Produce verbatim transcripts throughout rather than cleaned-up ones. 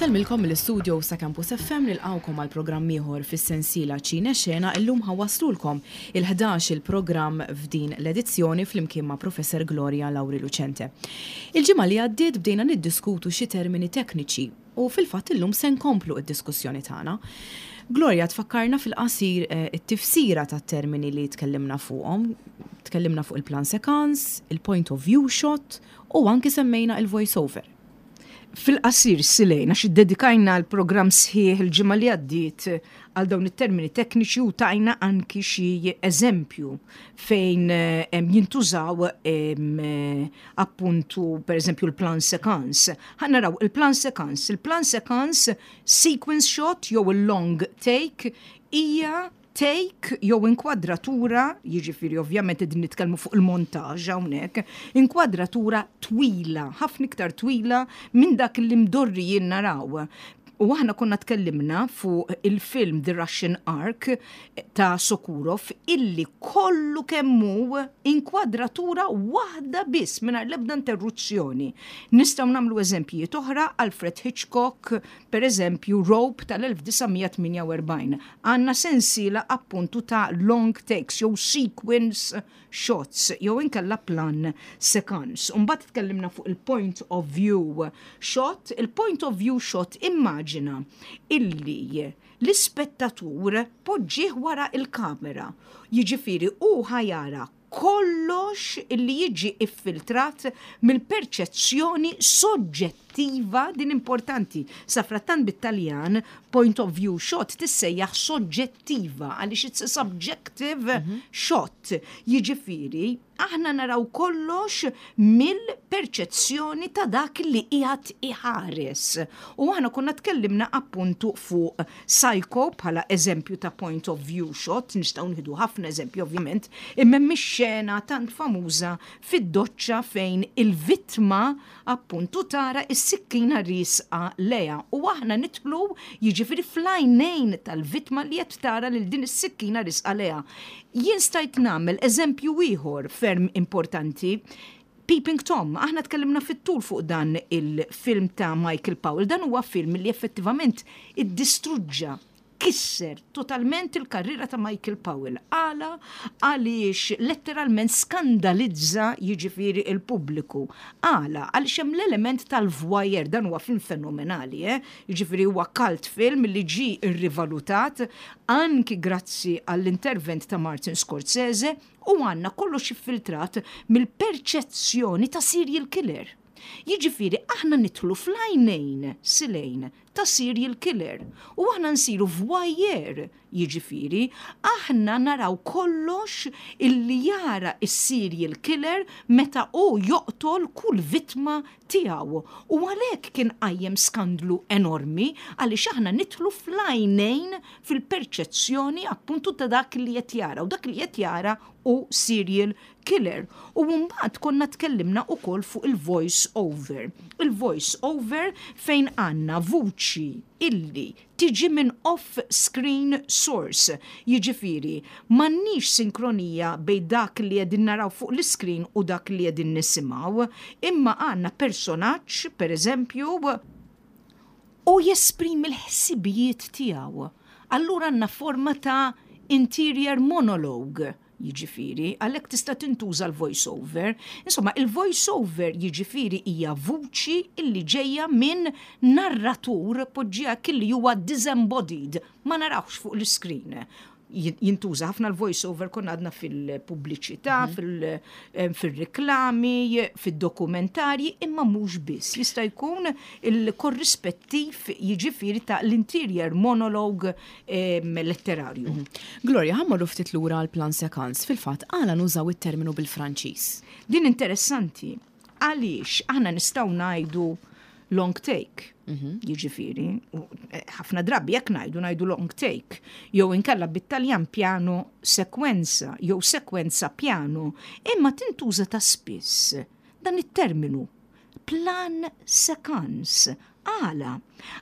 Insellmilkom mill-istudio sa' Campus F M, nilqgħukom għal programm ieħor fis-sensiela Ċine Xena. Illum ħa nwasslulkom il-ħdax il-programm f'din l-edizzjoni flimkien ma' Professor Gloria Lauri Lucente. Il-ġimgħa li għaddiet bdejna niddiskutu xi termini tekniċi u fil-fatt illum se nkomplu id-diskussjoni tagħna. Gloria, tfakkarna fil-qasir eh, it-tifsira tat-termini li tkellimna fuqhom. Tkellimna fuq il-plan séquence, il-point of view shot u anki semmejna il-voice over. Fil-qasir, Silejna, għax iddedikajna l-programm sħiħ il-ġimgħa li għaddiet għal dawn it-termini tekniċi u tajna anki xi eżempju fejn em, jintużaw em, appuntu, per eżempju, il-plan séquence. Ħa naraw il-plan séquence. Il-plan séquence, sequence shot jew il-long take, hija take jew inkwadratura, jiġifieri ovvjament qegħdin nitkellmu fuq il-montaġġ hawnhekk, inkwadratura twila, ħafna iktar twila minn dak li mdorrijin naraw. U aħna konna tkellimna fuq il-film The Russian Ark ta' Sokurov, illi kollu kemm hu inkwadratura waħda biss mingħajr l-ebda interruzzjoni. Nistgħu nagħmlu eżempji oħra, Alfred Hitchcock, per eżempju, Rope tal-elf disa' mija tmienja u erbgħin. Għandna sensiela appuntu ta' long takes jew sequence shots jew inkella plan séquence. Umbagħad tkellimna fuq il-point of view shot. Il-point of view shot, immaġina illi l-ispettatur poġġih wara il-kamera. Jiġifieri u ħa jara kollox illi jiġi iffiltrat mill-perċezzjoni soġġettiva, din importanti. Safrattant bit-Taljan point of view shot tissejjaħ soġġettiva għaliex it's a subjective mm -hmm. shot. Jiġifieri aħna naraw kollox mill-perċezzjoni ta' dak li qiegħed iħares. U aħna konna tkellimna appuntu fuq Psycho bħala eżempju ta' point of view shot, nistgħu nieħdu ħafna eżempju ovvjament, imma mix-xena tant famuża fid-doċċa fejn il-vittma appuntu tara is-sikkina riesqa lejha u aħna nidħlu, jiġifieri, fl-għajnejn tal-vittma li qed tara lil din is-sikkina riesqa lejha. Jien stajt nagħmel eżempju ieħor ferm importanti. Peeping Tom, aħna tkellimna fit-tul fuq dan il-film ta' Michael Powell. Dan huwa film li effettivament iddistruġġa, kisser totalment il-karriera ta' Michael Powell. Għala? Għaliex letteralment skandalizza, jiġifieri, il-pubbliku. Għala? Għaliex hemm l-element tal-voyeur. Dan huwa film fenomenali, eh? Jiġifieri huwa cult film li ġi irrivalutat anki grazzi għall-intervent ta' Martin Scorsese, u għandna kollox iffiltrat mill-perċezzjoni ta' serial killer. Jiġifieri aħna nidħlu fl-għajnejn, Silejn, ta' serial killer u aħna nsiru voyeur, jiġifieri aħna naraw kollox illi jara is-serial killer meta hu joqtol kull vittma tiegħu. U għalhekk kien qajjem skandlu enormi, għaliex aħna nidħlu fl-għajnejn, fil-perċezzjoni appuntu ta' dak li qed jara, u dak li qed jara hu serial killer. U mbagħad konna tkellimna ukoll fuq il-voice over. Il-voice over fejn għandna vuċi illi tiġi minn off-screen source. Jiġifieri, m'għandniex sinkronija bejn dak li qegħdin naraw fuq l-screen u dak li qegħdin nisimgħu, imma għandna personaġġ, per eżempju, u jesprimi l-ħsibijiet tiegħu. Allura għandna forma ta' interior monologue, jiġifieri, għalhekk tista' tintuża l-voice over. Insomma, il-voice over, jiġifieri, hija vuċi illi ġejja minn narratur, poġġija illi huwa disembodied, ma narawx fuq l-screen. Jintuża ħafna l-voice over, konna għadna, fil-pubbliċità, mhm. fil-reklami, fil-dokumentarji, imma mhux biss. Jista' jkun il-korrispettiv, jiġifieri, ta' l-interior monologue letterarju. Mhm. Gloria, ħa mmorru ftit lura l-plan séquence. Fil-fatt, għala nużaw it-terminu bil-Franċiż? Din interessanti. Għaliex aħna nistgħu ngħidu long take? Mhm. Jiġifieri, eh, ħafna drabi jekk ngħidu ngħidu long take, jew inkella bit-Taljan piano sequenza, jew sekwenza piano, imma tintuża ta' spiss dan it-terminu plan séquence. Għala?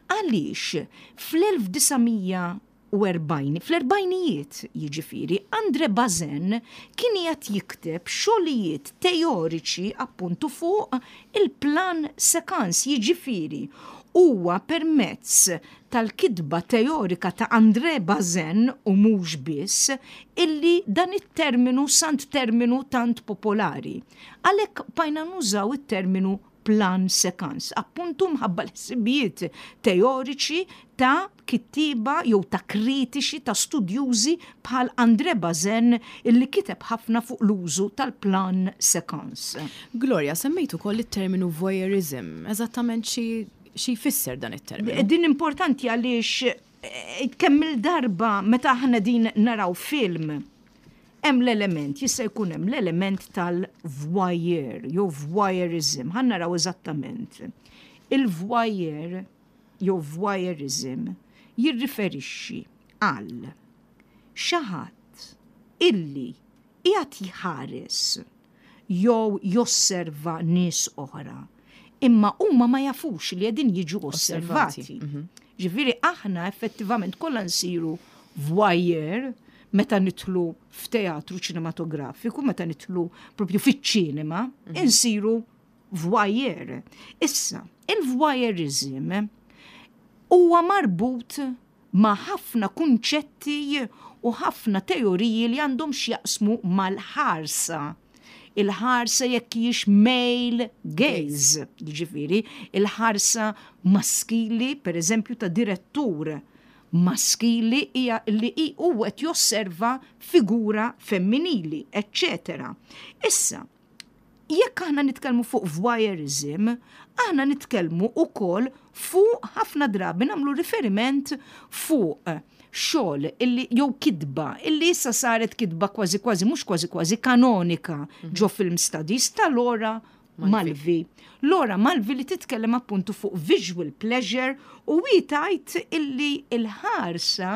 Għaliex fl-elf disa' mija u erbgħin, fl-erbgħinijiet, jiġifieri, Andre Bazin kien qiegħed jikteb xogħlijiet teoriċi appuntu fuq il-plan séquence, jiġifieri. Huwa permezz tal-kitba teorika ta' André Bazin u mhux biss illi dan it-terminu sar terminu tant popolari. Għalhekk bqajna nużaw it-terminu plan séquence, appuntu mħabba l-ħsibijiet teoriċi ta' kittiba jew ta' kritiċi, ta' studjużi bħal André Bazin, illi kiteb ħafna fuq l-użu tal-plan séquence. Gloria, semmejtu ukoll it-terminu voyeurism, eżattament xi xi jfisser dan it-terminu? Din importanti għaliex eh, kemm il-darba meta aħna din naraw film, hemm l-element, jista' jkun hemm l-element tal-voyeur jew voyeurism. Ħa naraw eżattament. Il-voyeur jew voyeurism jirriferixxi għal xi ħadd illi qiegħed jħares jew josserva nies oħra, imma huma ma jafux li qegħdin jiġu osservati. Mhm. Ġifieri aħna effettivament kollha nsiru voyeur meta nidħlu f'teatru ċinematografiku, meta nidħlu propju fiċ-ċinema, mhm. insiru voyeur. Issa, il-voyeurism huwa marbut ma' ħafna kunċetti u ħafna teoriji li għandhom x'jaqsmu mal-ħarsa. Il-ħarsa jekk hijiex male gaze, ġifieri, il-ħarsa maskili, per eżempju, ta' direttur maskili hija li hu qed josserva figura femminili, eccetera. Issa, jekk aħna nitkellmu fuq voyeurism, aħna nitkellmu ukoll fuq, ħafna drabi nagħmlu riferiment fuq xogħol illi jew kitba illi issa saret kitba kważi kważi, mhux kważi kważi, kanonika mhm. ġo film studies ta' Laura Mulvey. Laura Mulvey li titkellem appuntu fuq visual pleasure u hi tgħid illi il-ħarsa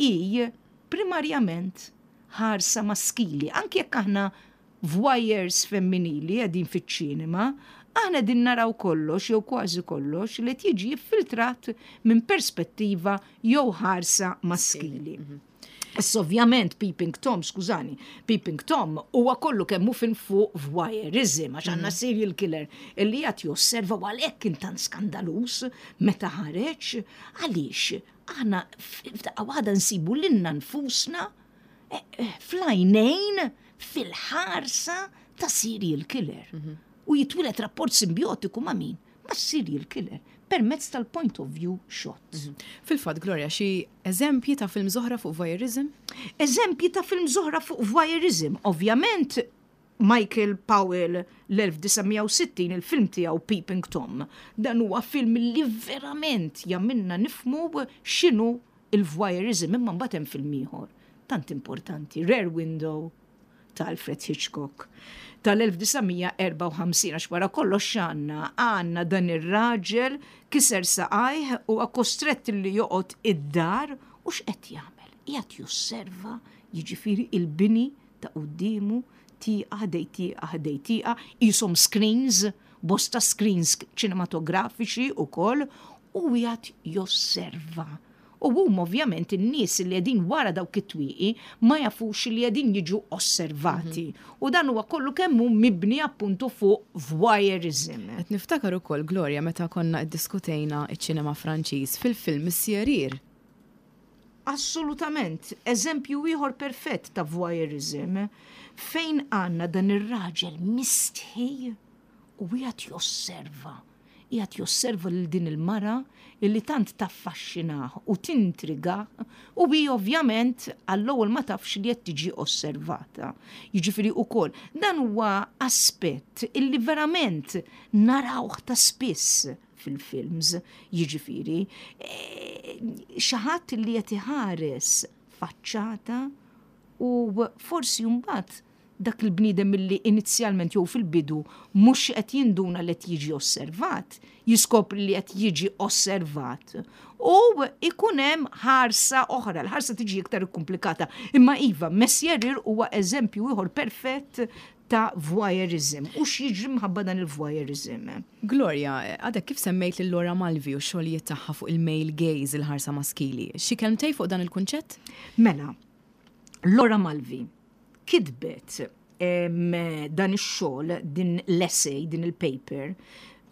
hi primarjament ħarsa maskili. Anki jekk aħna voyeurs femminili qegħdin fiċ-ċinema, aħna din naraw kollox jew kważi kollox li tiġi filtrat minn perspettiva jew ħarsa maskili. Mhm. Issa ovvjament Peeping Tom, skużani, Peeping Tom huwa kollu kemm hu fin fuq voyeurism, għax għandna mhm. serial killer illi qed josserva, u għalhekk kien tant skandaluż meta ħareġ, għaliex aħna f'daqqa waħda nsibu lilna nfusna eh, eh, fl-għajnejn, fil-ħarsa ta' serial killer. Mhm. U jitwieled rapport simbiotiku ma' min? Ma' serial killer permezz tal-point of view shot. Mhm. Fil-fatt, Gloria, xi eżempji ta' film oħra fuq voyeurism? Eżempji ta' film oħra fuq voyeurism. Ovvjament, Michael Powell, l-elf disa' mija u sittin, il-film tiegħu Peeping Tom. Dan huwa film li verament jagħmilna nifhmu x'inhu il-voyeurism, imma mbagħad hemm film ieħor tant importanti, Rear Window ta' Alfred Hitchcock tal-elf disa' mija u erbgħa u ħamsin, għax wara kollox x'għandna? Għandna dan ir-raġel kiser saqajh u kostrett li joqgħod id-dar, u x'qed jagħmel? Qiegħed josserva, jiġifieri, il-bini ta' quddiemu, tieqa ħdejn tieqa ħdejn tieqa, qishom screens, bosta screens ċinematografiċi ukoll, u qiegħed josserva. U huma ovvjament in-nies li qegħdin wara dawk it-twieqi ma jafux li qegħdin jiġu osservati. Mhm. U dan huwa kollu kemm hu mibni appuntu fuq voyeurism. Qed niftakar ukoll, Gloria, meta konna iddiskutejna iċ-ċinema Franċiż fil-film Monsieur Rire. Assolutament, eżempju ieħor perfett ta' voyeurism fejn għandna dan ir-raġel mistħi u qiegħed josserva qiegħed josserva lil din il-mara illi tant taffaxxinah u tintriga, u hi ovvjament għall-ewwel ma tafx li qed tiġi osservata. Jiġifieri ukoll dan huwa aspett illi verament narawh ta' spiss fil-films, jiġifieri e, xi ħadd li qed iħares faċċata u forsi mbagħad dak il-bniedem milli inizjalment jew fil-bidu mhux qed jinduna li qed jiġi osservat, jiskopri li qed jiġi osservat. U ikun hemm ħarsa oħra, l-ħarsa tiġi iktar komplikata. Imma iva, Monsieur Rire huwa eżempju ieħor perfett ta' voyeurism. U x'jiġri mħabba dan il-voyeurism? Gloria, għadek kif semmejt lil Laura Mulvey u xogħlijiet tagħha fuq il-male gaze, il-ħarsa maskili. Xi kelmtej fuq dan il-kunċett? Mela, Laura Mulvey kitbet dan ix-xogħol, din l-essay, din il-paper,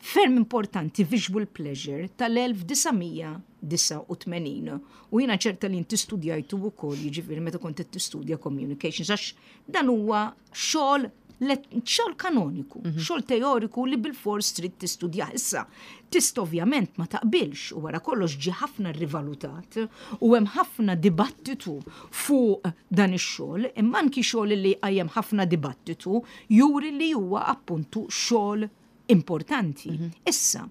ferm importanti, Visual Pleasure, tal-elf disa' mija disgħa u tmenin. U jiena ċerta li inti studjajtu wkoll, jiġifieri meta kont qed tistudja communications, għax dan huwa xogħol xogħol kanoniku, mm -hmm. xogħol teoriku li bil-fors trid tistudja. Issa, tista' ovvjament ma taqbilx, u wara kollox ġi ħafna rivalutat u hemm ħafna dibattitu fuq dan ix-xogħol, imma anki xogħol li qajjem ħafna dibattitu juri li huwa appuntu xogħol importanti. Mm -hmm. Issa,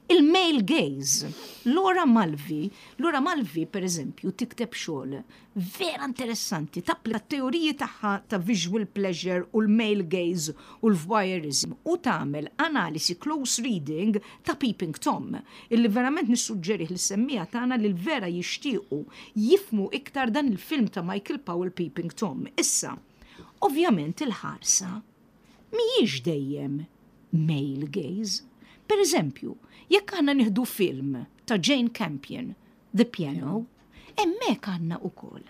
il-male gaze, Laura Mulvey, Laura Mulvey per eżempju tikteb xogħol vera interessanti, tapplika teoriji tagħha ta' visual pleasure u l-male gaze u l-voyeurism u tagħmel analisi close reading ta' Peeping Tom, illi verament nissuġġerih lis-semmiegħa tagħna li l-vera jixtiequ jifhmu iktar dan il-film ta' Michael Powell, Peeping Tom. Issa, ovvjament il-ħarsa mhijiex dejjem male gaze. Per eżempju, jekk aħna nieħdu film ta' Jane Campion, The Piano, hemmhekk għandna ukoll.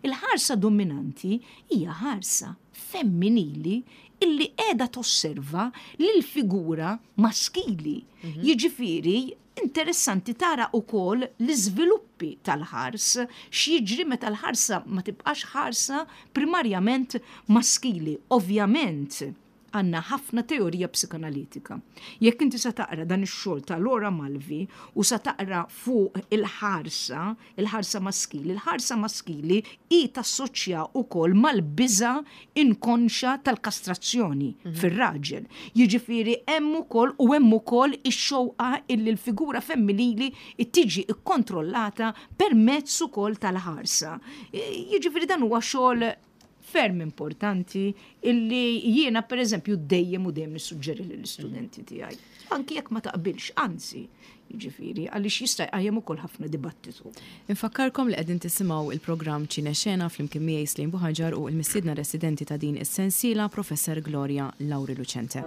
Il-ħarsa dominanti hija ħarsa femminili illi qiegħda tosserva lil figura maskili. Mhm. Jiġifieri interessanti tara ukoll l-iżviluppi tal-ħars, x'jiġri meta l-ħarsa ma tibqax ħarsa primarjament maskili. Ovvjament, għandna ħafna teorija psikanalitika. Jekk inti sa taqra dan ix-xogħol ta' Laura Mulvey u sa taqra fuq il-ħarsa, il-ħarsa maskili, il-ħarsa maskili i tassoċja wkoll mal-biża inkonxa tal-kastrazzjoni mm -hmm. fir-raġel. Jiġifieri hemm ukoll u hemm ukoll ix-xewqa illi l-figura femminili tiġi ikkontrollata permezz ukoll tal-ħarsa. Jiġifieri dan huwa xogħol ferm importanti illi jiena per eżempju dejjem u dejjem nissuġġeri lill-istudenti tiegħi. Anki jekk ma taqbilx, anzi, jiġifieri għaliex jista' jqajjem ukoll ħafna dibattitu. Infakkarkom li qegħdin tisimgħu il-programm Ċine Xena flimkien miegħi Slim Buħaġar u l-mistiedna residenti ta' din is-sensiela, Professor Gloria Lauri Lucente.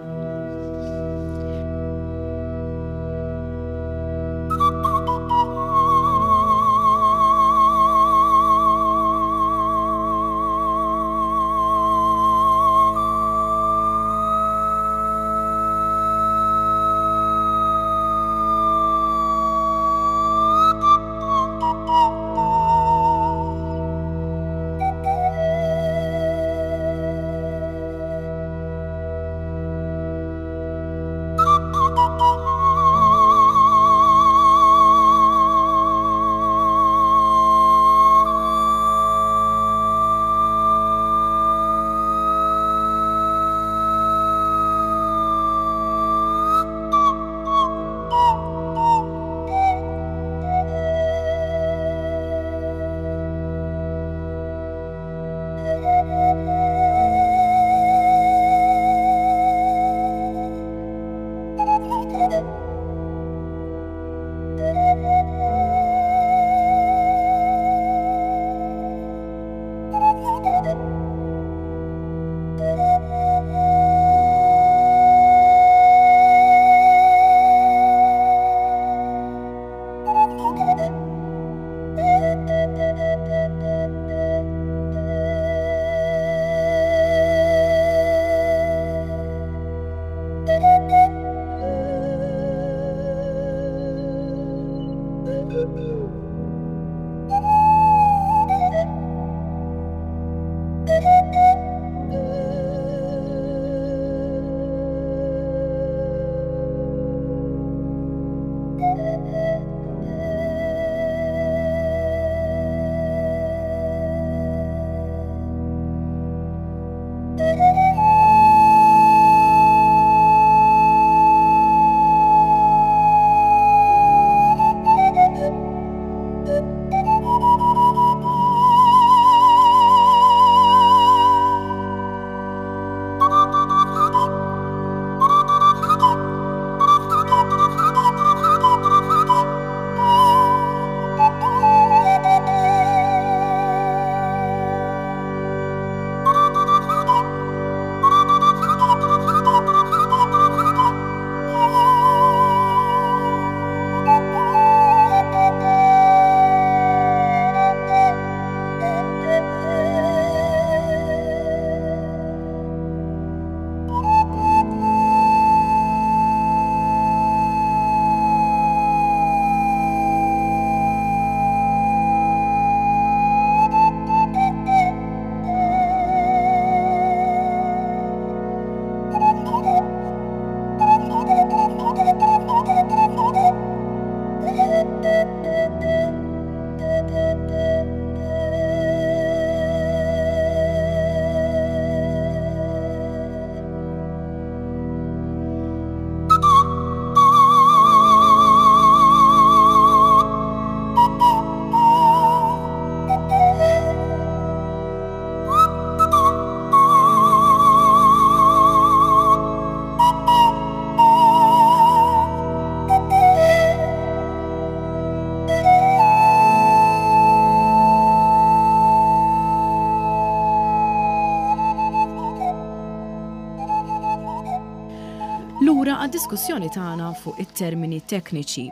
Għad-diskussjoni tagħna fuq it-termini tekniċi.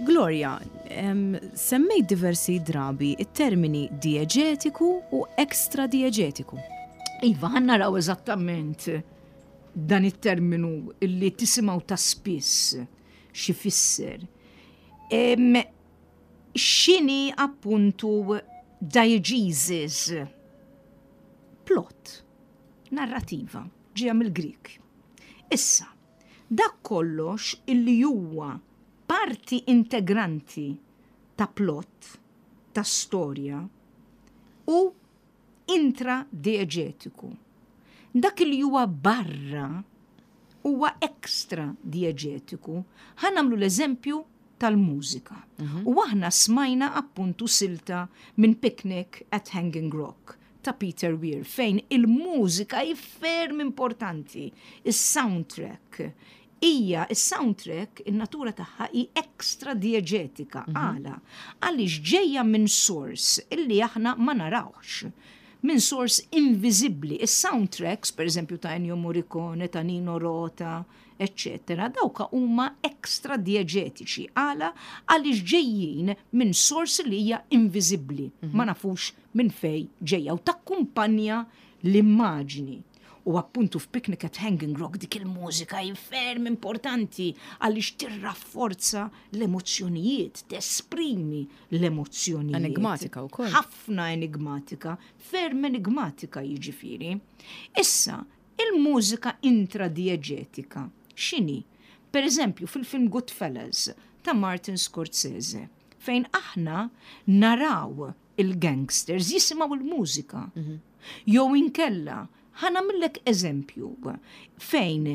Gloria, em, semmejt diversi drabi it-termini dieġetiku u ekstra dieġetiku. Iva, ħa naraw eżattament dan it-terminu illi tisimgħu ta' spiss x'ifisser. Em, X'inhi appuntu diegesis? Plot, narrativa, ġeja mill-Grik. Issa, dak kollox illi huwa parti integranti ta' plot, ta' storja, u intradieġetiku. Dak li huwa barra huwa ekstra dieġetiku. Ħa nagħmlu l-eżempju tal-mużika. U aħna smajna appuntu silta minn Picnic at Hanging Rock ta' Peter Weir, fejn il-mużika hi ferm importanti, il-soundtrack. Ija, il-soundtrack, il-natura tagħha hi ekstra dieġetika, għala, għaliex ġejja minn source illi aħna ma narawx, minn source invisibli. Is-soundtracks, per eżempju, ta' Ennio Morricone, ta' Nino Rota, eccetera, dawka huma ekstra dieġetiċi. Għala? Għaliex ġejjin minn source li hija invisibli. Ma nafux minn fej ġejja u takkumpanja l-immaġni. U appuntu f'Picnic at Hanging Rock dik il-mużika hi ferm importanti għaliex tirrafforza l-emozzjonijiet, tesprimi l-emozzjonijiet. Enigmatika wkoll. Ħafna enigmatika, ferm enigmatika jiġifieri. Issa, il-mużika intradieġetika, x'inhi? Per eżempju, fil-film Goodfellas ta' Martin Scorsese, fejn aħna naraw il-gangsters jisimgħu il-mużika. Jew inkella, ħa nagħmillek eżempju fejn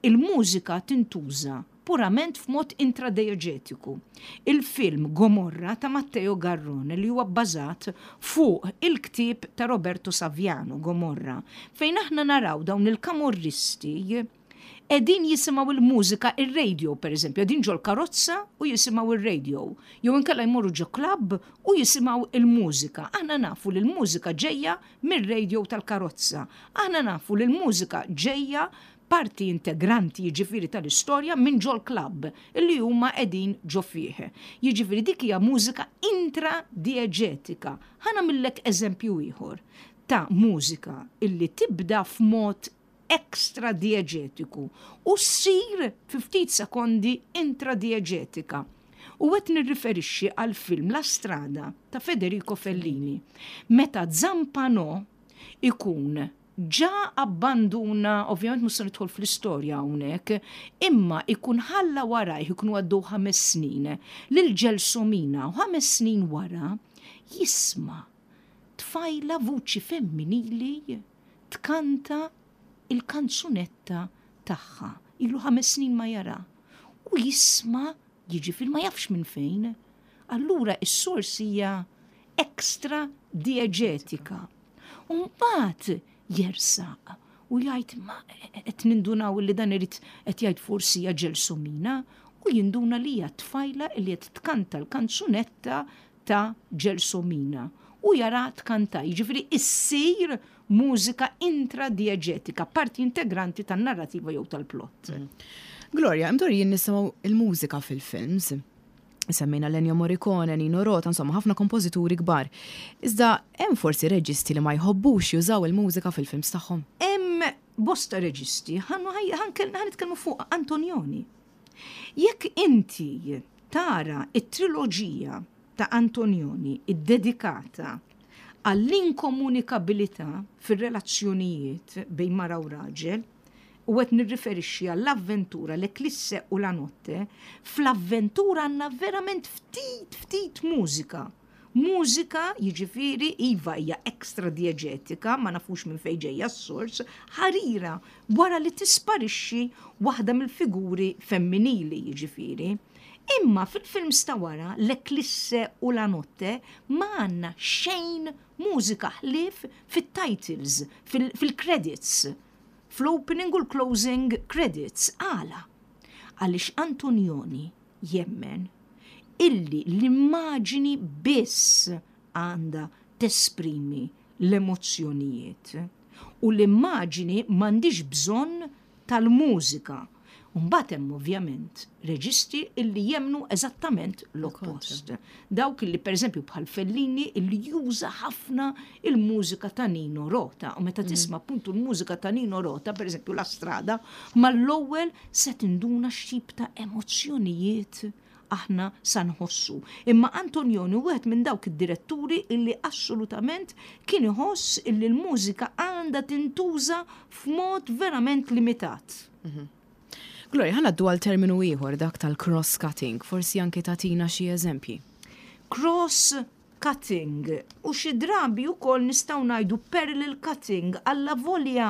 il-mużika tintuża purament f'mod intradieġetiku. Il-film Gomorra ta' Matteo Garrone, li huwa bbażat fuq il-ktieb ta' Roberto Saviano Gomorra, fejn aħna naraw dawn il-kamorristi qegħdin jisimgħu il-mużika, il-radio per eżempju, qegħdin ġol karozza u jisimgħu il-radio, jew inkella jmorru ġo club u jisimgħu il-mużika. Aħna nafu li l-mużika ġejja mir-radio tal-karozza. Aħna nafu li l-mużika ġejja parti integranti, jiġifieri, tal-istorja minn ġol club illi huma qegħdin ġo fih. Jiġifieri dik hija mużika intradieġetika. Ħa nagħmillek eżempju ieħor ta' mużika illi tibda f'mod ekstra dieġetiku u ssir fi ftit sekondi intradieġetika. U qed nirriferixxi għal film La Strada ta' Federico Fellini. Meta Zampano ikun ġa abbanduna, ovvjament mhux se nidħol fl-istorja hawnhekk, imma ikun ħalla warajh, ikunu għaddew ħames snin lil Gelsomina, u ħames snin wara jisma' tfajla, vuċi femminili, tkanta il-kanzunetta tagħha. Ilu ħames snin ma jara. U jisma', jiġifieri ma jafx minn fejn. Allura is-sors hija ekstra dieġetika. U mbagħad jersaq u jgħid, ma qed nindunaw li dan irid qed jgħid forsi hija Gelsomina, u jinduna li hija tfajla li qed tkanta l-kanzunetta ta' Gelsomina u jara tkanta, jiġifieri issir mużika intradieġetika, parti integranti tan-narrativa jew tal-plot. Gloria, imdorrijin nisimgħu il-mużika fil-films. Semmejna Ennio Morricone, Nino Rota, insomma, ħafna kompożituri kbar. Iżda hemm forsi reġisti li ma jħobbux jużaw il-mużika fil-films tagħhom? Hemm bosta reġisti, ħa nitkellmu fuq Antonioni. Jekk inti tara it-triloġija ta' Antonioni iddedikata għall-inkomunikabilità fir-relazzjonijiet bejn mara u raġel, u qed nirriferixxi għall-Avventura, L-Eclisse u La Notte, fl-Avventura għandna verament ftit ftit mużika. Mużika, jiġifieri, iva, hija ekstra dieġetika, ma nafux minn fejn ġejja s-sors, ħarira wara li tisparixxi waħda mill-figuri femminili, jiġifieri. Imma fil-films ta' wara, L-Eclisse u La Notte, ma għandna xejn mużika ħlief fit-titles, fil-credits, fl-opening u l-closing credits. Għala? Għaliex Antonioni jemmen illi l-immaġini biss għandha tesprimi l-emozzjonijiet u l-immaġini m'għandix bżonn tal-mużika. Mbagħad hemm ovvjament reġisti illi jemmnu eżattament l-oppost. Dawk illi, pereżempju, bħal Fellini, illi juża ħafna il-mużika ta' Nino Rota. U meta tisma' appuntu l-mużika ta' Nino Rota, pereżempju La Strada, mal-ewwel se tinduna x'tip ta' emozzjonijiet aħna sa nħossu. Imma Antonioni wieħed minn dawk id-diretturi illi assolutament kien iħoss illi l-mużika għandha tintuża f'mod verament limitat. Gloria, ħa ngħaddu għal terminu ieħor, dak tal-cross-cutting, forsi anki tagħtina xi eżempji. Cross-cutting u xi drabi wkoll nistgħu ngħidu parallel cutting, allavolja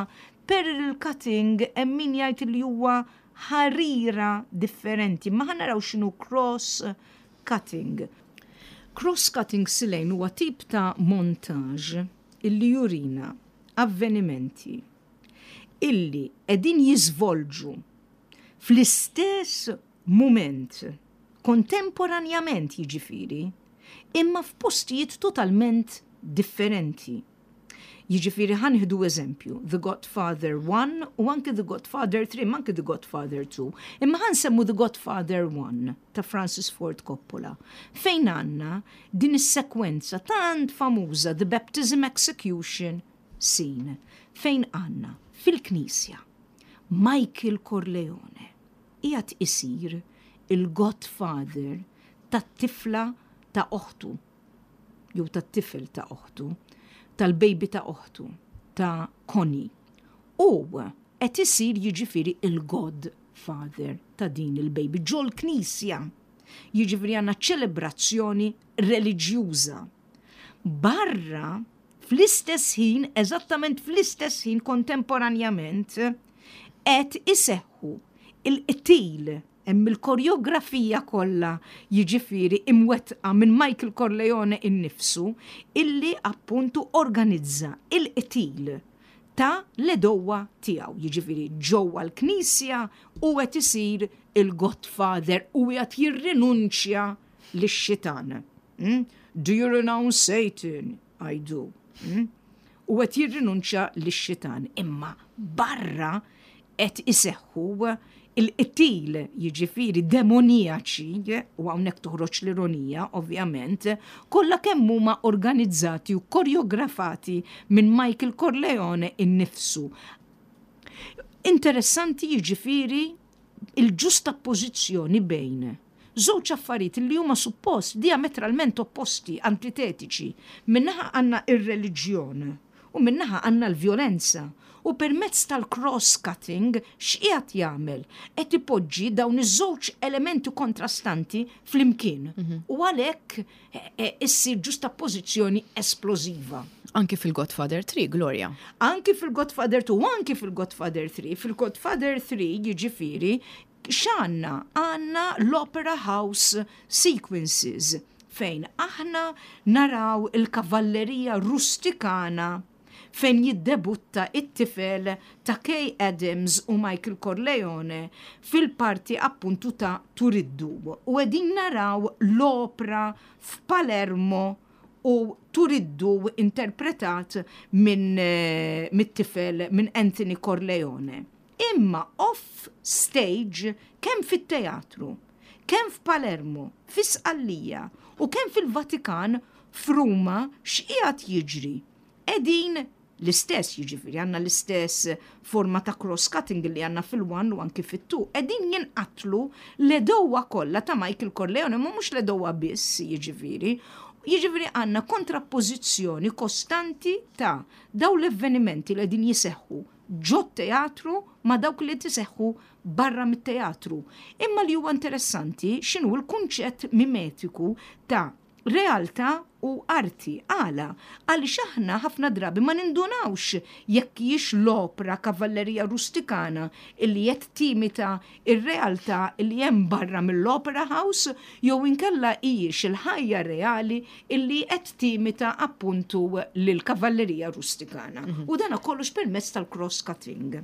parallel cutting hemm min jgħid li huwa ħarira differenti, ma ħa naraw x'inhu cross-cutting. Cross-cutting, Silejn, huwa tip ta' montage illi jurina avvenimenti illi qegħdin jiżvolġu fl-istess moment, kontemporanjament jiġifieri, imma f'postijiet totalment differenti. Jiġifieri ħa nieħdu eżempju, The Godfather one u anke The Godfather three, ma anke The Godfather two. Imma ħa nsemmu The Godfather one ta' Francis Ford Coppola, fejn għandna din is-sekwenza tant famuża, The Baptism Execution Scene, fejn għandna fil-knisja Michael Corleone qiegħed isir il-godfather tat-tifla ta' oħtu, jew tat-tifel ta' oħtu, tal-baby ta' oħtu, ta' Connie. U qed isir jiġifieri il-godfather ta' din il-baby ġol-knisja. Jiġifieri għandna ċelebrazzjoni reliġjuża. Barra, fl-istess ħin, eżattament fl-istess ħin, kontemporanjament, qed iseħħu il-qtil, hemm il-koreografija kollha jiġifieri imwettqa minn Michael Corleone innifsu, illi appuntu organizza il-qtil ta' l-għedewwa tiegħu. Jiġifieri ġewwa l-knisja u qed isir il-Godfather u qed jirrinunċja lix-xitan. Hmm? "Do you renounce Satan?" "I do." Hmm? U qed jirrinunċja lix-xitan. Imma barra qed iseħħu il-qtil jiġifieri demonijaċi, u hawnhekk toħroġ l-ironija ovvjament, kollha kemm huma organizzati u koreografati minn Michael Corleone innifsu. Interessanti jiġifieri il-ġustapożizzjoni bejn żewġ affarijiet li huma suppost diametralment opposti, antitetiċi. Min-naħa għandna ir-reliġjon u min-naħa għandna l-vjolenza. U permezz tal-cross-cutting x'qiegħed jagħmel? Qed ipoġġi dawn iż-żewġ elementi kontrastanti flimkien. Mhm. U għalhekk eh, eh, issir ġustapożizzjoni esplożiva. Anki fil-Godfather three, Gloria. Anki fil-Godfather two, anki fil-Godfather three. Fil-Godfather three jiġifieri x'għandna? Għandna l-Opera House sequences fejn aħna naraw il-kavallerija rustikana, fejn jiddebutta it-tifel ta' Kay Adams u Michael Corleone fil-parti appuntu ta' Turiddu. U qegħdin naraw l-opera f'Palermo u Turiddu interpretat minn eh, mit-tifel, minn Anthony Corleone. Imma off stage, kemm fit-teatru, kemm f'Palermo, fi Sqallija u kemm fil-Vatikan f'Ruma, x'qiegħed jiġri? Qegħdin l-istess, jiġifieri għandna l-istess forma ta' cross-cutting li għandna fil-one u anki fit-two. Qegħdin jinqatlu l-għedewwa kollha ta' Michael Corleone, ma mhux l-għedewwa biss jiġifieri. Jiġifieri għandna kontrappożizzjoni kostanti ta' daw l-avvenimenti li qegħdin jiseħħu ġo teatru ma' dawk li jiseħħu barra mit-teatru. Imma li huwa interessanti x'inhu l-kunċett mimetiku ta' realtà u arti. Għala? Għaliex aħna ħafna drabi ma nindunawx jekk hijiex l-opra Kavallerija Rustikana illi qed timita ir-realtà illi hemm barra mill-Opera House jew inkella hijiex il-ħajja reali illi qed timita appuntu lill-Kavallerija Rustikana. Mhm. U dana kollox permezz tal-cross-cutting.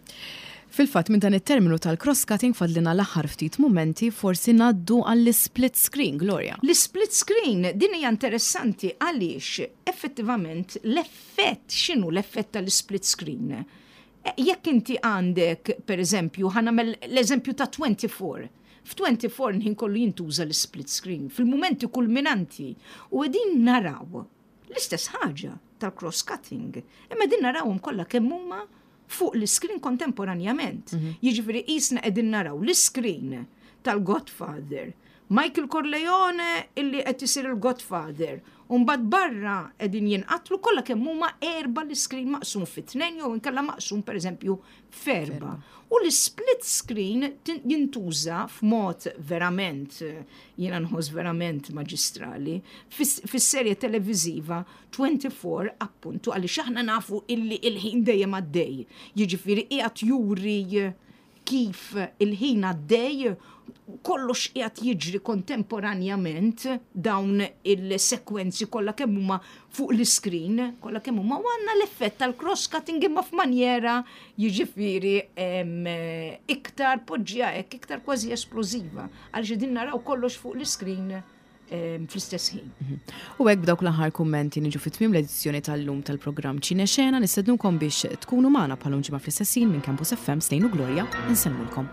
Fil-fatt, minn dan it-terminu tal-cross-cutting, fadlilna l-aħħar ftit momenti, forsi ngħaddu għall-split screen, Gloria. L-split screen, din hija interessanti għaliex effettivament l-effett, x'inhu l-effett tal-split screen? Eh, Jekk inti għandek, per eżempju, ħa nagħmel l-eżempju ta' twenty-four. F'twenty-four ħin kollu jintuża l-split screen, fil-momenti kulminanti. U qegħdin naraw l-istess ħaġa tal-cross-cutting. Imma din narawhom kollha kemm huma fuq l-screen kontemporanjament. Jiġifieri qisna qegħdin naraw l-screen tal-Godfather, Michael Corleone illi qed isir il-Godfather, u mbagħad barra qegħdin jinqatlu kollha kemm huma erba', l-screen maqsum fi tnejn jew inkella maqsum, pereżempju, f'erba'. U l-split screen tin- jintuża f'mod verament, eh, jiena nħoss verament maġistrali, fis- fis-serje televiżiva twenty-four, appuntu għaliex aħna nafu illi il-ħin dejjem għaddej. Jiġifieri qiegħed juri kif il-ħin għaddej, kollox qiegħed jiġri kontemporanjament, dawn il-sekwenzi kollha kemm huma fuq l-screen, kollha kemm huma, u għandna l-effett tal-cross-cutting imma f'manjera, jiġifieri, em, iktar poġġija hekk, iktar kważi esplożiva, għaliex din naraw kollox fuq l-screen em, fl-istess ħin. U hekk, b'dawk l-aħħar kummenti, niġu fit tmiem l-edizzjoni tal-lum tal-programm Ċine Xena. Nistednukom biex tkunu magħna bħal ġimgħa fl-istess ħin minn Campus F M. Slejn u Gloria, insellmulkom.